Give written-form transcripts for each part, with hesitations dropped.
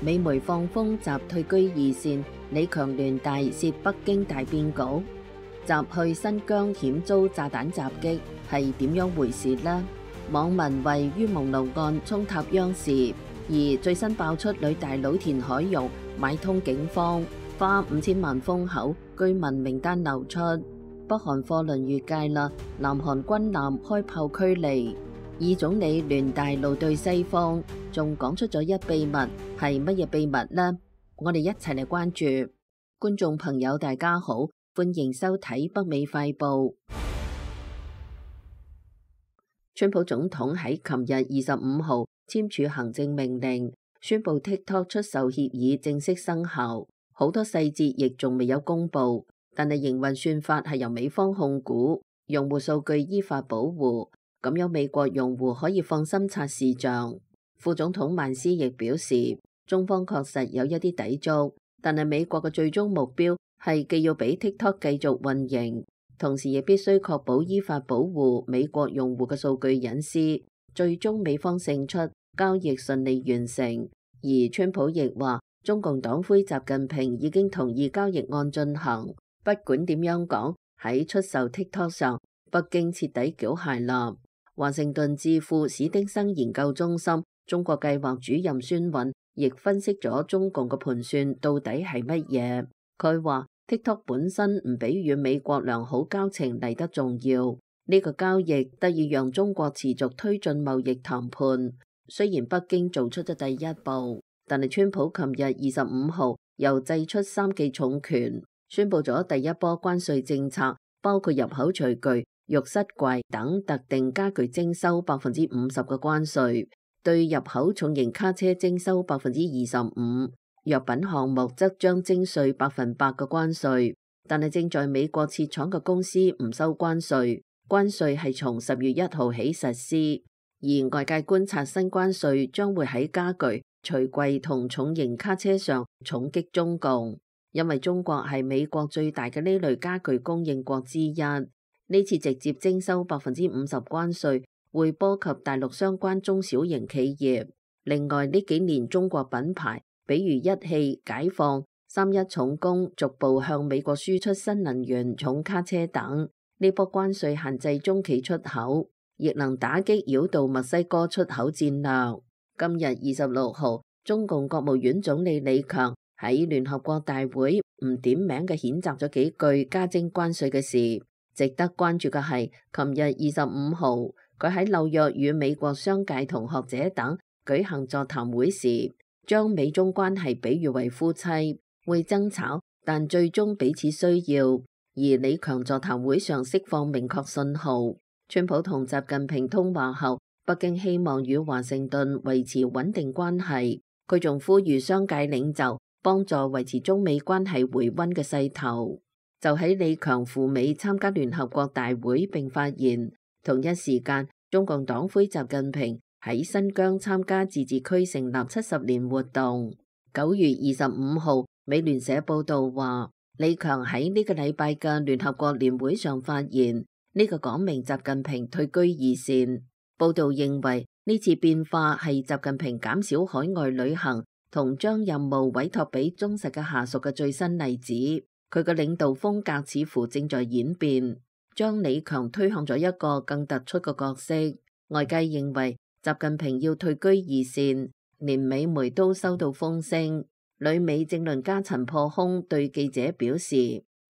美媒放風習退居二線，李強聯大涉北京大變局，習去新疆險遭炸彈襲擊，係點樣回事呢？網民為於蒙路案衝塔央視，而最新爆出女大佬田海玉買通警方，花5000萬封口，居民名單流出。北韓貨輪越界啦，南韓軍艦開炮驅離。以總理聯大怒對西方，仲講出咗一秘密，係乜嘢秘密呢？我哋一齊嚟關注。觀眾朋友大家好，歡迎收睇北美快報。川普總統喺琴日25號簽署行政命令，宣布 TikTok 出售協議正式生效，好多細節亦仲未有公布，但係營運算法係由美方控股，用戶數據依法保護。咁樣美國用戶可以放心刷視像。副總統曼斯亦表示，中方確實有一啲抵觸，但係美國嘅最終目標係既要俾 TikTok 繼續運營，同時亦必須確保依法保護美國用戶嘅數據隱私。最終美方勝出，交易順利完成。而川普亦話，中共黨魁習近平已經同意交易按進行。不管點樣講，喺出售 TikTok 上，北京徹底繳械啦。華盛頓智庫史丁生研究中心中國計劃主任孫韻亦分析咗中共嘅盤算到底係乜嘢。佢話 TikTok 本身唔比與美國良好交情嚟得重要，呢個交易得以讓中國持續推進貿易談判。雖然北京做出咗第一步，但係川普琴日25號又祭出3記重拳，宣布咗第一波關稅政策，包括入口廚具、浴室櫃等特定家具徵收50%嘅關稅，對入口重型卡車徵收25%，藥品項目則將徵稅100%嘅關稅。但係正在美國設廠嘅公司唔收關稅，關稅係從10月1號起實施。而外界觀察新關稅將會喺家具、廚櫃同重型卡車上重擊中共，因為中國係美國最大嘅呢類家具供應國之一。呢次直接徵收50%關稅，會波及大陸相關中小型企業。另外呢幾年中國品牌，比如一汽、解放、31重工，逐步向美國輸出新能源重卡車等。呢波關稅限制中企出口，亦能打擊擾到墨西哥出口戰略。今日26號，中共國務院總理李強喺聯合國大會唔點名嘅譴責咗幾句加徵關稅嘅事。值得關注嘅係，琴日25號，佢喺紐約與美國商界同學者等舉行座談會時，將美中關係比喻為夫妻，會爭吵，但最終彼此需要。而李強座談會上釋放明確信號，川普同習近平通話後，北京希望與華盛頓維持穩定關係。佢仲呼籲商界領袖幫助維持中美關係回溫嘅勢頭。就喺李強赴美參加聯合國大會並發言，同一時間，中共黨魁習近平喺新疆參加自治區成立70年活動。9月25號，美聯社報道話，李強喺呢個禮拜嘅聯合國年會上發言，呢個講明習近平退居二線。報道認為呢次變化係習近平減少海外旅行同將任務委託俾忠實嘅下屬嘅最新例子。佢嘅領導風格似乎正在演變，將李強推向咗一個更突出嘅角色。外界認為習近平要退居二線，連美媒都收到風聲。旅美政論家陳破空對記者表示，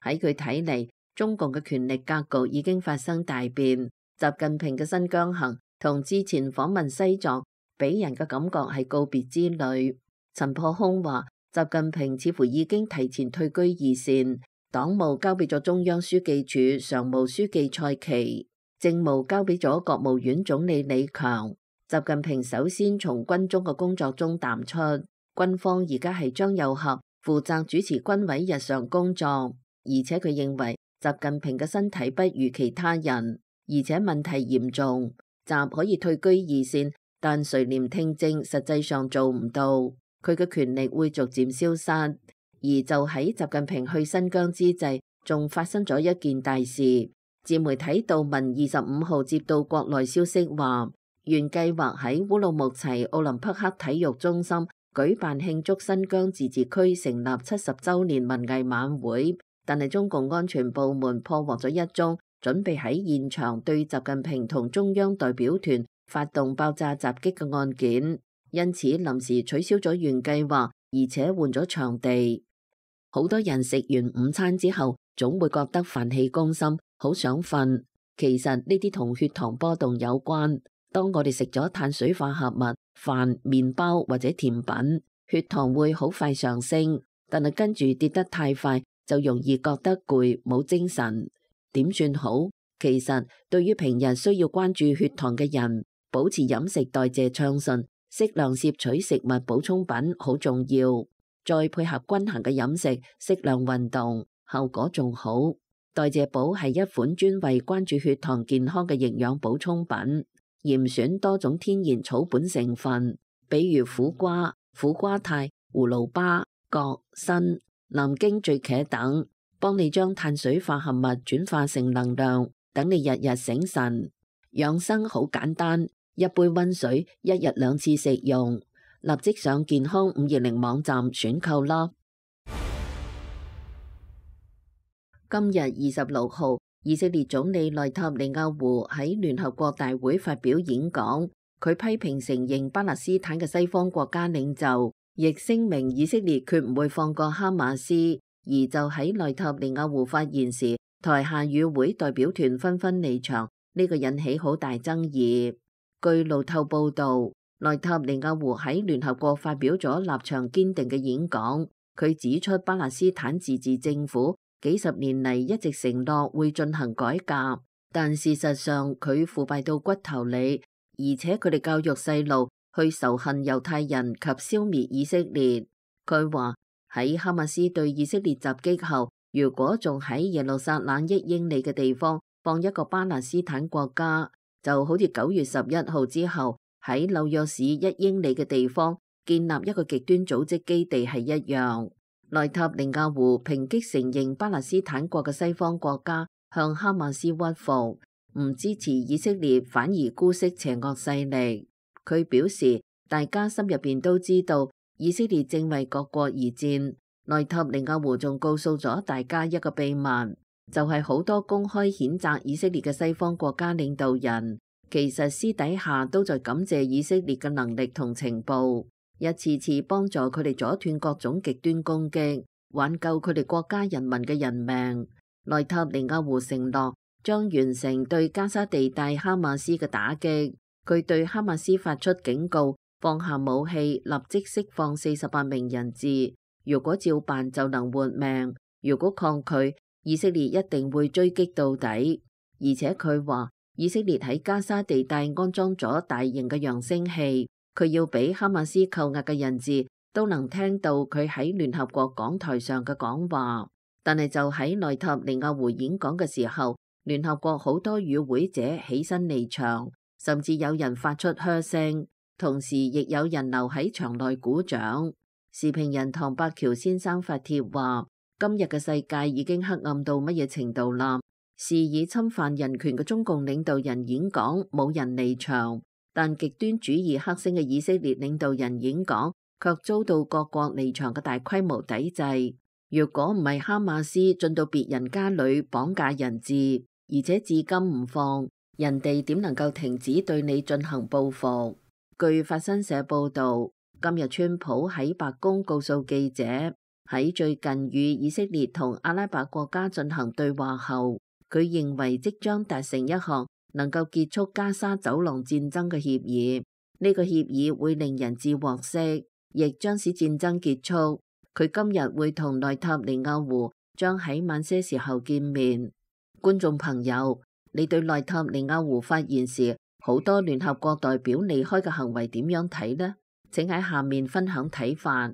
喺佢睇嚟，中共嘅權力格局已經發生大變。習近平嘅新疆行同之前訪問西藏，俾人嘅感覺係告別之旅。陳破空話，習近平似乎已經提前退居二線，黨務交俾咗中央書記處常務書記蔡奇，政務交俾咗國務院總理李強。習近平首先從軍中嘅工作中淡出，軍方而家係張又俠負責主持軍委日常工作，而且佢認為習近平嘅身體不如其他人，而且問題嚴重，習可以退居二線，但垂簾聽政實際上做唔到。佢嘅權力會逐漸消失，而就喺習近平去新疆之際，仲發生咗一件大事。自媒體道文25號接到國內消息話，原計劃喺烏魯木齊奧林匹克體育中心舉辦慶祝新疆自治區成立70週年文藝晚會，但係中共安全部門破獲咗一宗準備喺現場對習近平同中央代表團發動爆炸襲擊嘅案件，因此臨時取消咗原計劃，而且換咗場地。好多人食完午餐之後，總會覺得飯氣攻心，好想瞓。其實呢啲同血糖波動有關。當我哋食咗碳水化合物、飯、麵包或者甜品，血糖會好快上升，但係跟住跌得太快，就容易覺得攰，冇精神。點算好？其實對於平日需要關注血糖嘅人，保持飲食代謝暢順，適量攝取食物補充品好重要。再配合均衡嘅飲食，適量運動，效果仲好。代謝寶係一款專為關注血糖健康嘅營養補充品，嚴選多種天然草本成分，比如苦瓜、苦瓜肽、葫蘆巴、葛、參、南京醉茄等，幫你將碳水化合物轉化成能量，等你日日醒神。養生好簡單，一杯溫水，一日2次食用。立即上健康520網站選購啦！今日26號，以色列總理內塔尼亞胡喺聯合國大會發表演講，佢批評承認巴勒斯坦嘅西方國家領袖，亦聲明以色列決唔會放過哈馬斯。而就喺內塔尼亞胡發言時，台下與會代表團紛紛離場，呢個引起好大爭議。據路透報導，內塔尼亞胡喺聯合國發表咗立場堅定嘅演講，佢指出巴勒斯坦自治政府幾十年嚟一直承諾會進行改革，但事實上佢腐敗到骨頭裏，而且佢哋教育細路去仇恨猶太人及消滅以色列。佢話喺哈馬斯對以色列襲擊後，如果仲喺耶路撒冷1英里嘅地方放一個巴勒斯坦國家，就好似9月11號之後喺紐約市1英里嘅地方建立一個極端組織基地係一樣。內塔尼亞胡抨擊承認巴勒斯坦國嘅西方國家向哈馬斯屈服，唔支持以色列，反而姑息邪惡勢力。佢表示，大家心入邊都知道以色列正為各國而戰。內塔尼亞胡仲告訴咗大家一個秘密，就係好多公開譴責以色列嘅西方國家領導人，其實私底下都在感謝以色列嘅能力同情報，一次次幫助佢哋阻斷各種極端攻擊，挽救佢哋國家人民嘅人命。內塔尼亞胡承諾將完成對加沙地帶哈馬斯嘅打擊，佢對哈馬斯發出警告，放下武器，立即釋放48名人質。如果照辦就能活命，如果抗拒，以色列一定會追擊到底。而且佢話以色列喺加沙地帶安裝咗大型嘅揚聲器，佢要俾哈馬斯扣押嘅人質都能聽到佢喺聯合國講台上嘅講話。但係就喺內塔尼亞胡演講嘅時候，聯合國好多與會者起身離場，甚至有人發出噓聲，同時亦有人留喺場內鼓掌。時評人唐伯橋先生發帖話：今日嘅世界已經黑暗到乜嘢程度啦？肆意侵犯人權嘅中共領導人演講冇人離場，但極端主義黑星嘅以色列領導人演講卻遭到各國離場嘅大規模抵制。如果唔係哈馬斯進到別人家裏綁架人質，而且至今唔放，人哋點能夠停止對你進行報復？據法新社報導，今日川普喺白宮告訴記者，喺最近與以色列同阿拉伯國家進行對話後，佢認為即將達成一項能夠結束加沙走廊戰爭嘅協議。呢個協議會令人質獲釋，亦將使戰爭結束。佢今日會同內塔尼亞胡將喺晚些時候見面。觀眾朋友，你對內塔尼亞胡發言時好多聯合國代表離開嘅行為點樣睇呢？請喺下面分享睇法。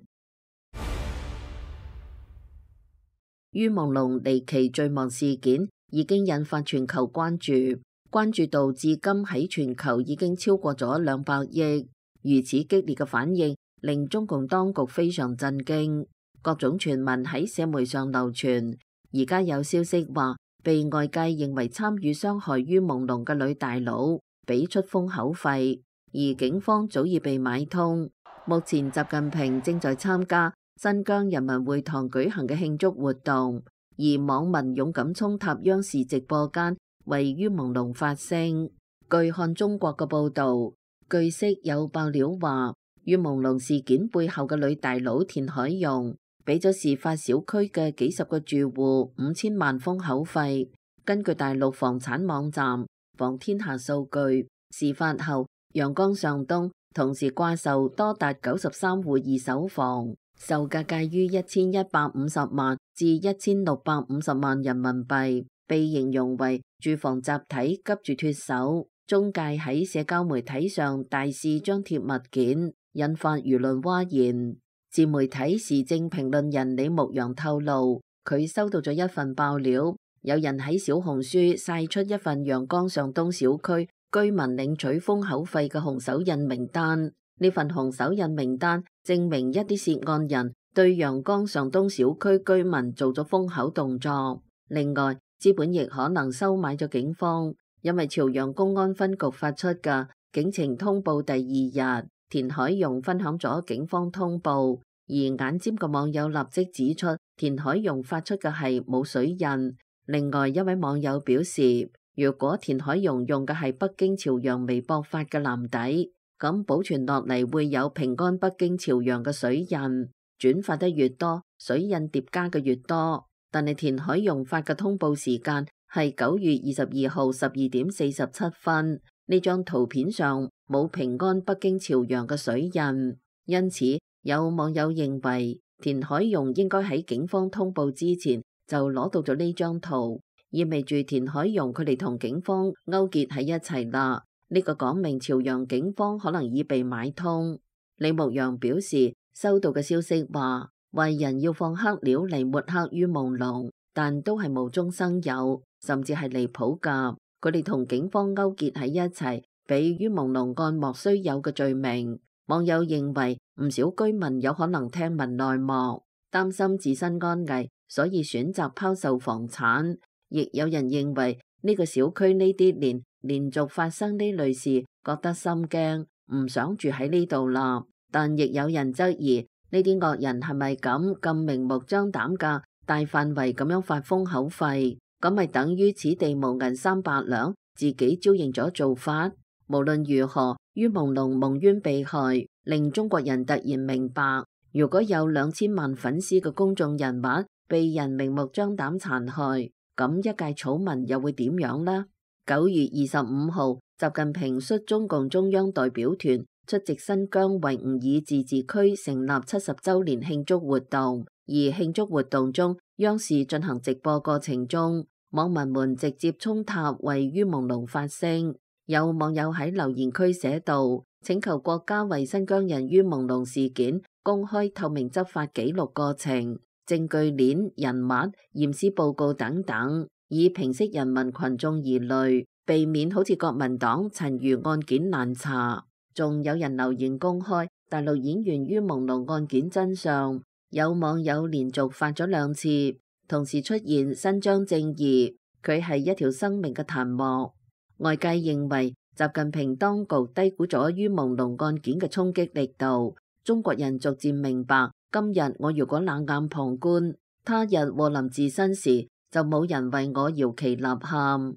于朦朧離奇墜亡事件已經引發全球關注，關注度至今喺全球已經超過咗200億。如此激烈嘅反應令中共當局非常震驚，各種傳聞喺社媒上流傳。而家有消息話，被外界認為參與傷害于朦朧嘅女大佬俾出封口費，而警方早已被買通。目前習近平正在參加新疆人民會堂舉行嘅慶祝活動，而網民勇敢衝塔央視直播間為于朦朧發聲。據看中國嘅報導，據悉有爆料話，于朦朧事件背後嘅女大佬田海容俾咗事發小區嘅幾十個住戶5000萬封口費。根據大陸房產網站房天下數據，事發後陽江上東同時掛售多達93戶二手房，售價介於1150萬至1650萬人民幣，被形容為住房集體急住脫手。中介喺社交媒體上大肆張貼物件，引發輿論譁然。自媒體時政評論人李牧陽透露，佢收到咗一份爆料，有人喺小紅書曬出一份陽江上東小區居民領取封口費嘅紅手印名單。呢份紅手印名單證明一啲涉案人對陽江上東小區居民做咗封口動作。另外，資本亦可能收買咗警方，因為朝陽公安分局發出嘅警情通報第二日，田海容分享咗警方通報，而眼尖嘅網友立即指出田海容發出嘅係冇水印。另外一位網友表示，如果田海容用嘅係北京朝陽微博發嘅藍底，咁保存落嚟會有平安北京朝陽嘅水印，轉發得越多，水印疊加嘅越多。但係田海容發嘅通報時間係9月22號12點47分，呢張圖片上冇平安北京朝陽嘅水印，因此有網友認為田海容應該喺警方通報之前就攞到咗呢張圖，意味住田海容佢哋同警方勾結喺一齊啦。呢個講明朝陽警方可能已被買通。李牧陽表示，收到嘅消息話壞人要放黑料嚟抹黑于朦朧，但都係無中生有，甚至係離譜㗎。佢哋同警方勾結喺一齊，俾于朦朧案莫須有嘅罪名。網友認為唔少居民有可能聽聞內幕，擔心自身安危，所以選擇拋售房產。亦有人認為呢個小區呢啲年連續發生呢類事，覺得心驚，唔想住喺呢度啦。但亦有人質疑呢啲惡人係咪咁明目張膽㗎，大範圍咁樣發封口費，咁咪等於此地無銀300兩，自己招認咗做法。無論如何，于朦朧蒙冤被害，令中國人突然明白，如果有2000萬粉絲嘅公眾人物被人明目張膽殘害，咁一介草民又會點樣呢？9月25號，習近平率中共中央代表團出席新疆維吾爾自治區成立70週年慶祝活動，而慶祝活動中，央視進行直播過程中，網民們直接衝塔為于朦朧發聲。有網友喺留言區寫道，請求國家為新疆人于朦朧事件公開透明執法記錄過程、證據鏈、人物、驗屍報告等等，以平息人民群眾疑慮，避免好似國民黨陳余案件難查。仲有人留言公開大陸演員于朦朧案件真相，有網友連續發咗2次，同時出現伸張正義，佢係一條生命嘅彈幕。外界認為習近平當局低估咗于朦朧案件嘅衝擊力度，中國人逐漸明白，今日我如果冷眼旁觀，他日禍臨自身時就冇人為我搖旗吶喊。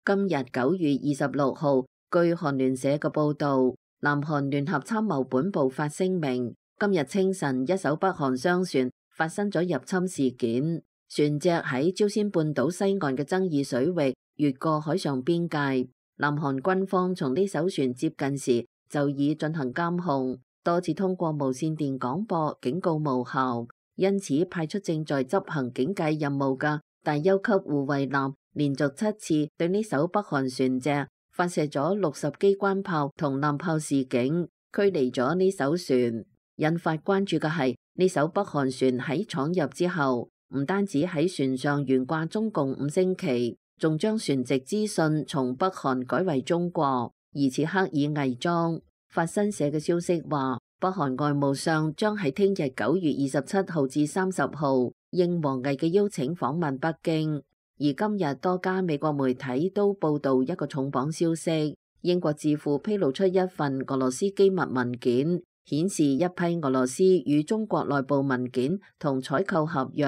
今日9月26號，據韓聯社嘅報導，南韓聯合參謀本部發聲明，今日清晨一艘北韓商船發生咗入侵事件，船隻喺朝鮮半島西岸嘅爭議水域越過海上邊界。南韓軍方從呢艘船接近時就已進行監控，多次通過無線電廣播警告無效，因此派出正在執行警戒任務嘅大邱級護衛艦連續7次對呢艘北韓船隻發射咗60機關炮同艦炮示警，驅離咗呢艘船。引發關注嘅係呢艘北韓船喺闖入之後，唔單止喺船上懸掛中共5星旗，仲將船籍資訊從北韓改為中國，疑似刻意偽裝。法新社嘅消息話，北韓外務相將喺聽日9月27號至30號應王毅嘅邀請訪問北京。而今日多家美國媒體都報道一個重磅消息，英國智庫披露出一份俄羅斯機密文件，顯示一批俄羅斯與中國內部文件同採購合約，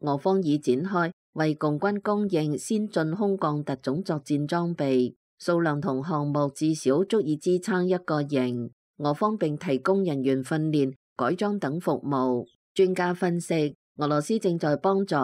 俄方已展開為共軍供應先進空降特種作戰裝備，數量同項目至少足以支撐一個營。俄方並提供人員訓練、改裝等服務。專家分析，俄羅斯正在幫助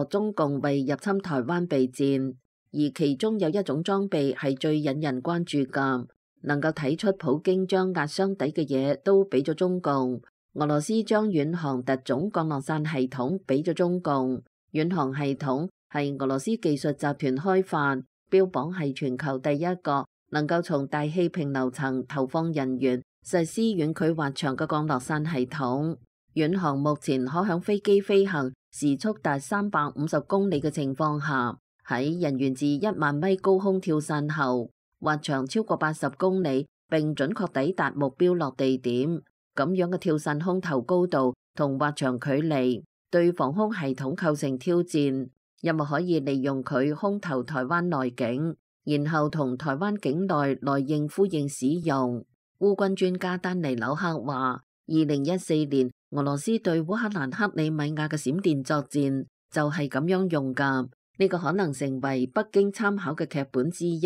中共為入侵台灣備戰，而其中有一種裝備係最引人關注㗎，能夠睇出普京將壓箱底嘅嘢都俾咗中共。俄羅斯將遠航特種降落傘系統俾咗中共。遠航系統係俄羅斯技術集團開發，標榜係全球第一個能夠從大氣平流層投放人員實施遠距滑翔嘅降落傘系統。遠航目前可響飛機飛行時速達350公里嘅情況下，喺人員自1萬米高空跳傘後，滑翔超過80公里，並準確抵達目標落地點。咁樣嘅跳傘空投高度同滑翔距離，對防空系統構成挑戰，因為可以利用佢空投台灣內境，然後同台灣境內內應呼應使用。烏軍專家丹尼紐克話，2014年俄羅斯對烏克蘭克里米亞嘅閃電作戰就係咁樣用㗎，呢個可能成為北京參考嘅劇本之一。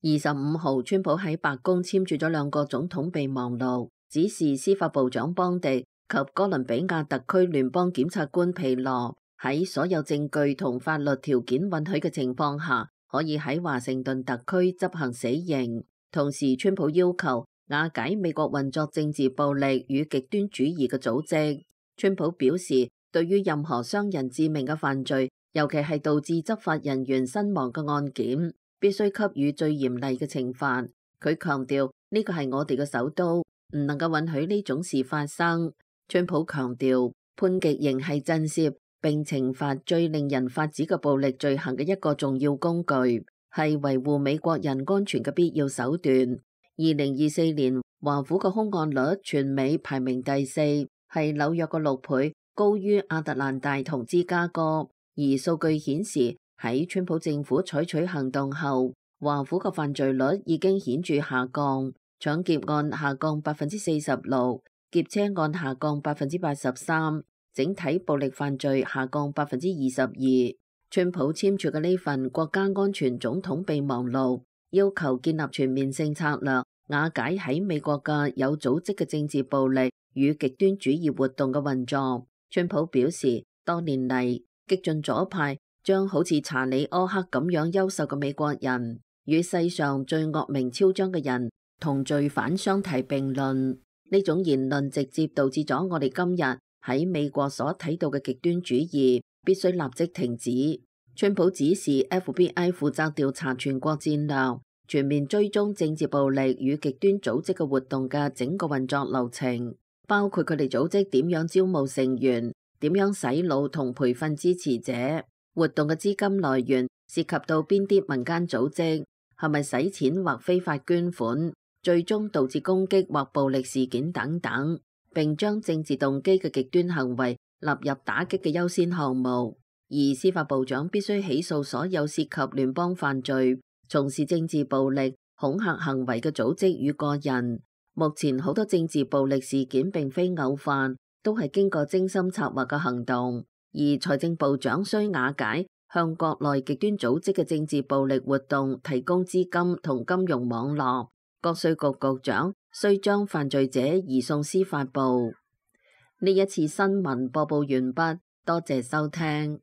25號，川普喺白宮簽署咗2個總統備忘錄，指示司法部長邦迪及哥倫比亞特區聯邦檢察官皮羅喺所有證據同法律條件允許嘅情況下，可以喺華盛頓特區執行死刑。同時，川普要求瓦解美國運作政治暴力與極端主義嘅組織。川普表示，對於任何傷人致命嘅犯罪，尤其係導致執法人員身亡嘅案件，必須給予最嚴厲嘅懲罰。佢強調呢個係我哋嘅首都，唔能夠允許呢種事發生。川普強調，判極刑係震懾並懲罰最令人髮指嘅暴力罪行嘅一個重要工具，係維護美國人安全嘅必要手段。2024年，華府嘅兇案率全美排名第4，係紐約嘅6倍，高於亞特蘭大同芝加哥。而數據顯示，喺川普政府採取行動後，華府嘅犯罪率已經顯著下降，搶劫案下降46%，劫車案下降83%，整體暴力犯罪下降22%。川普簽署嘅呢份國家安全總統備忘錄，要求建立全面性策略，瓦解喺美國嘅有組織嘅政治暴力與極端主義活動嘅運作。川普表示，多年嚟，激進左派將好似查理·柯克咁樣優秀嘅美國人與世上最惡名昭彰嘅人同罪犯相提並論。呢種言論直接導致咗我哋今日喺美國所睇到嘅極端主義，必須立即停止。川普指示 FBI 負責調查全國戰略，全面追蹤政治暴力與極端組織嘅活動嘅整個運作流程，包括佢哋組織點樣招募成員，點樣洗腦同培訓支持者，活動嘅資金來源涉及到邊啲民間組織，係咪洗錢或非法捐款，最終導致攻擊或暴力事件等等，並將政治動機嘅極端行為納入打擊嘅優先項目。而司法部長必須起訴所有涉及聯邦犯罪、從事政治暴力、恐嚇行為嘅組織與個人。目前好多政治暴力事件並非偶發，都係經過精心策劃嘅行動。而財政部長需瓦解向國內極端組織嘅政治暴力活動提供資金同金融網絡。國稅局局長需將犯罪者移送司法部。呢一次新聞播報完畢，多謝收聽。